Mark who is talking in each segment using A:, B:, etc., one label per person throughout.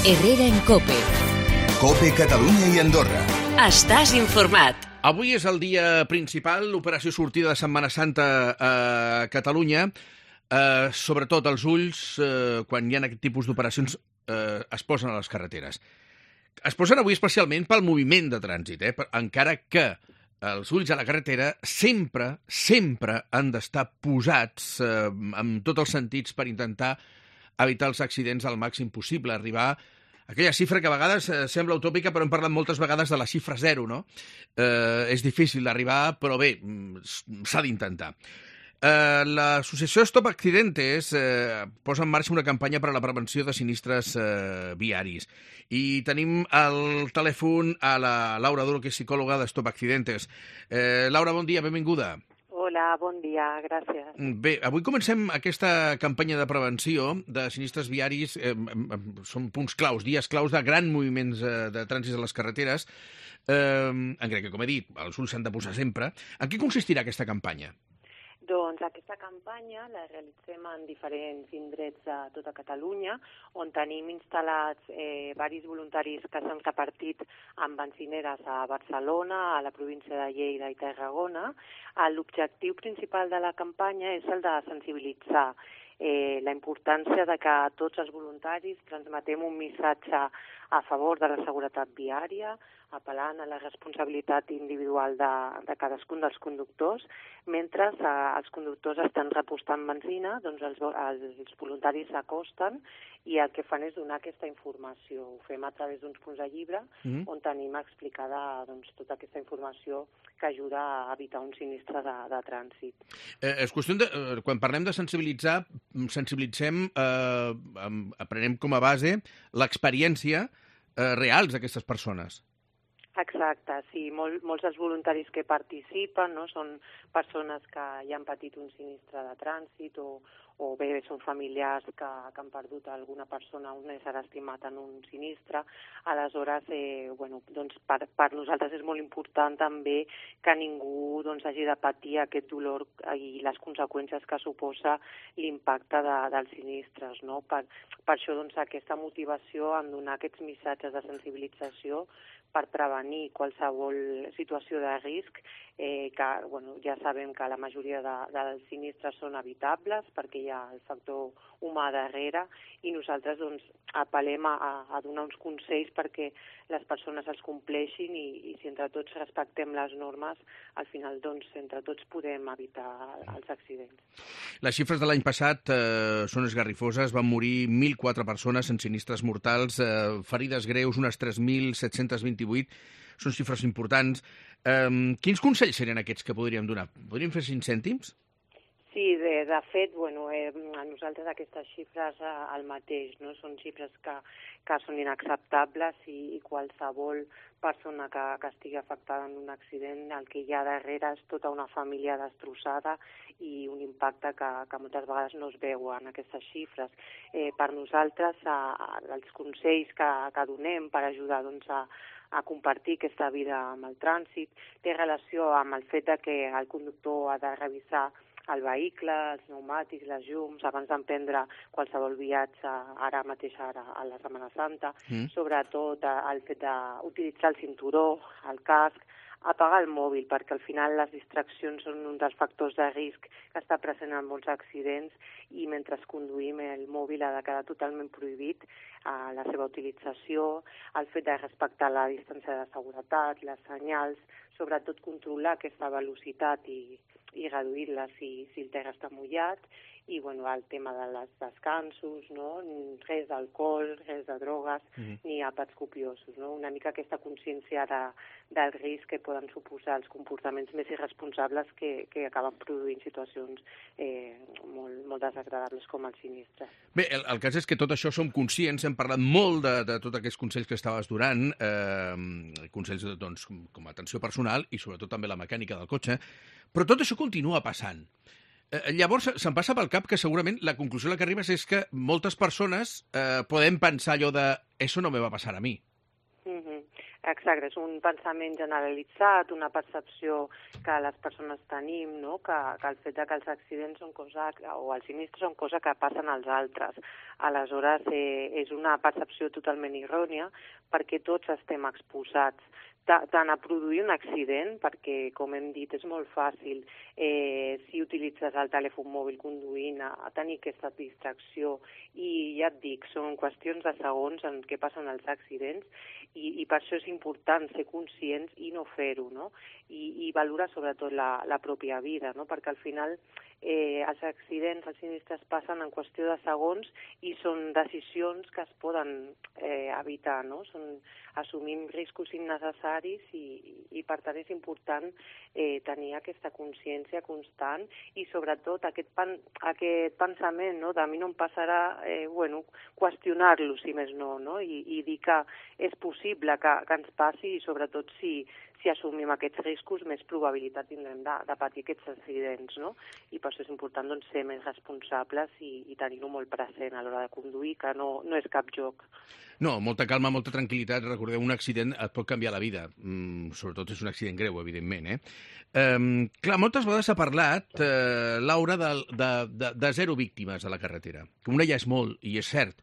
A: Herrera en COPE.
B: COPE Catalunya i Andorra.
A: Estàs informat.
C: Avui és el dia principal, l'operació sortida de Setmana Santa a Catalunya. Sobretot els ulls, quan hi ha aquest tipus d'operacions, es posen a les carreteres. Es posen avui especialment pel moviment de trànsit, encara que els ulls a la carretera sempre han d'estar posats en tots els sentits per intentar evitar els accidents al màxim possible, arribar a aquella xifra que a vegades sembla utòpica, però hem parlat moltes vegades de la xifra 0, no? És difícil d'arribar, però bé, s'ha d'intentar. L'associació Stop Accidentes posa en marxa una campanya per a la prevenció de sinistres viaris. I tenim al telèfon a la Laura Duro, que és psicòloga de Stop Accidentes. Laura, bon dia, benvinguda.
D: Hola, bon dia, gràcies.
C: Bé, avui comencem aquesta campanya de prevenció de sinistres viaris. Són punts claus, dies claus de grans moviments de trànsit a les carreteres. Encara que, com he dit, els ulls s'han de posar sempre. En què consistirà aquesta campanya?
D: Doncs aquesta campanya la realitzem en diferents indrets de tota Catalunya, on tenim instal·lats diversos voluntaris que s'han repartit amb benzineres a Barcelona, a la província de Lleida i Tarragona. L'objectiu principal de la campanya és el de sensibilitzar la importància de que tots els voluntaris transmetem un missatge a favor de la seguretat viària, apel·lant a la responsabilitat individual de cadascun dels conductors, mentre els conductors estan repostant benzina, doncs els voluntaris s'acosten i el que fan és donar aquesta informació. Ho fem a través d'uns punts de llibre on tenim explicada tota aquesta informació que ajuda a evitar un sinistre de trànsit.
C: És qüestió de, quan parlem de sensibilitzar, sensibilitzem, aprenem com a base l'experiència reals d'aquestes persones.
D: Exacte, sí. Molts dels voluntaris que participen són persones que ja han patit un sinistre de trànsit o bé són familiars que han perdut alguna persona, un ésser estimat en un sinistre. Aleshores, per nosaltres és molt important també que ningú hagi de patir aquest dolor i les conseqüències que suposa l'impacte dels sinistres. No? Per això aquesta motivació en donar aquests missatges de sensibilització per prevenir qualsevol situació de risc, que ja sabem que la majoria dels sinistres són evitables perquè hi ha el factor humà darrere i nosaltres apel·lem a donar uns consells perquè les persones els compleixin i si entre tots respectem les normes, al final entre tots podem evitar els accidents.
C: Les xifres de l'any passat són esgarrifoses, van morir 1.004 persones en sinistres mortals, ferides greus unes 3.728, són xifres importants. Quins consells serien aquests que podríem donar? Podríem fer 5 cèntims?
D: Sí, de fet, a nosaltres aquestes xifres el mateix, no? Són xifres que són inacceptables i qualsevol persona que estigui afectada en un accident, el que hi ha darrere és tota una família destrossada i un impacte que moltes vegades no es veu en aquestes xifres. Per nosaltres, els consells que donem per ajudar a compartir aquesta vida amb el trànsit té relació amb el fet que el conductor ha de revisar el vehicle, els pneumàtics, les llums, abans d'emprendre qualsevol viatge, ara mateix a la Setmana Santa, sobretot el fet d'utilitzar el cinturó, el casc, apagar el mòbil, perquè al final les distraccions són un dels factors de risc que està present en molts accidents i mentre conduïm el mòbil ha de quedar totalment prohibit la seva utilització, el fet de respectar la distància de seguretat, les senyals, sobretot controlar aquesta velocitat i reduir-la si el terra està mullat i el tema dels descansos, res d'alcohol, res de drogues, ni àpats copiosos. Una mica aquesta consciència del risc que poden suposar els comportaments més irresponsables que acaben produint situacions molt desagradables com el sinistre.
C: Bé, el cas és que tot això som conscients, hem parlat molt de tots aquests consells que estaves donant, consells com a atenció personal i sobretot també la mecànica del cotxe, però tot això continua passant. Llavors, se'm passa pel cap que segurament la conclusió a la que arribes és que moltes persones podem pensar allò de «eso no me va passar a mi».
D: Exacte, és un pensament generalitzat, una percepció que les persones tenim, no? Que el fet que els accidents són cosa, o els sinistres són cosa que passen als altres. Aleshores, és una percepció totalment errònia perquè tots estem exposats tant a produir un accident, perquè, com hem dit, és molt fàcil si utilitzes el telèfon mòbil conduint a tenir aquesta distracció i ja et dic, són qüestions de segons en què passen els accidents i per això és important ser conscients i no fer-ho, no? I valorar sobretot la pròpia vida, no? Perquè al final els accidents, els sinistres passen en qüestió de segons i són decisions que es poden evitar, no? Assumim riscos innecessaris i per tant és important tenir aquesta consciència constant i sobretot aquest pensament, no? De a mi no em passarà, qüestionar-lo si més no, no? I dir que és possible que ens passi i sobretot si assumim aquests riscos més probabilitat tindrem de patir aquests accidents, no? I per això és important doncs, ser més responsables i tenir-ho molt present a l'hora de conduir, que no és cap joc.
C: No, molta calma, molta tranquil·litat. Recordeu, un accident et pot canviar la vida. Sobretot és un accident greu, evidentment. Clar, moltes vegades s'ha parlat, Laura, de 0 víctimes a la carretera. Que una ja és molt, i és cert.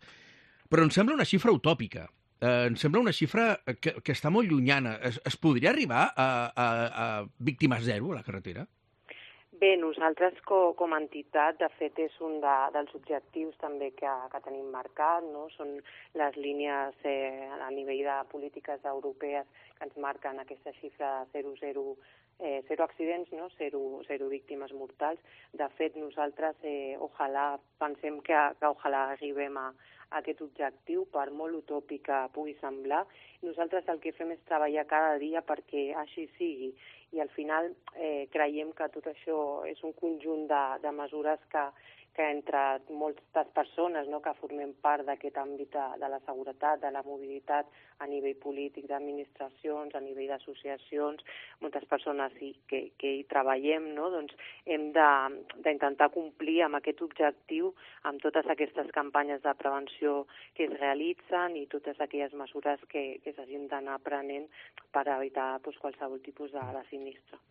C: Però em sembla una xifra utòpica. Em sembla una xifra que està molt llunyana. Es podria arribar a víctimes 0 a la carretera?
D: Bé, nosaltres com a entitat, de fet, és un dels objectius també que tenim marcat, no? Són les línies a nivell de polítiques europees que ens marquen aquesta xifra de 0 accidents, no? 0 víctimes mortals. De fet, nosaltres pensem que ojalà arribem a aquest objectiu, per molt utòpic que pugui semblar. Nosaltres el que fem és treballar cada dia perquè així sigui i al final creiem que tot això és un conjunt de mesures que entre moltes persones, no, que formem part d'aquest àmbit de la seguretat, de la mobilitat a nivell polític, d'administracions, a nivell d'associacions, moltes persones que hi treballem, no, doncs hem d'intentar complir amb aquest objectiu, amb totes aquestes campanyes de prevenció que es realitzen i totes aquelles mesures que s'hagin d'anar prenent per evitar qualsevol tipus de sinistre.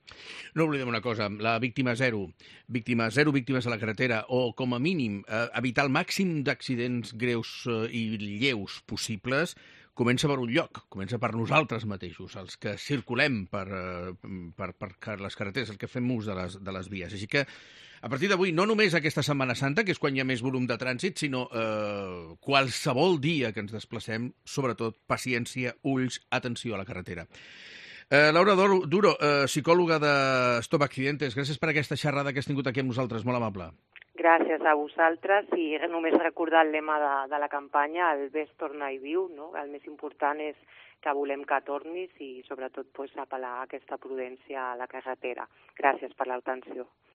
C: No oblidem una cosa, la víctima 0 víctimes a la carretera, o com a mínim evitar el màxim d'accidents greus i lleus possibles, comença per un lloc, comença per nosaltres mateixos, els que circulem per les carreteres, el que fem ús de les vies. Així que, a partir d'avui, no només aquesta Setmana Santa, que és quan hi ha més volum de trànsit, sinó qualsevol dia que ens desplacem, sobretot paciència, ulls, atenció a la carretera. Laura Duro, psicòloga de Stop Accidentes, gràcies per aquesta xerrada que has tingut aquí amb nosaltres, molt amable.
D: Gràcies a vosaltres i només recordar el lema de la campanya, el ves, torna i viu, no? El més important és que volem que tornis i sobretot apel·lar a aquesta prudència a la carretera. Gràcies per l'atenció.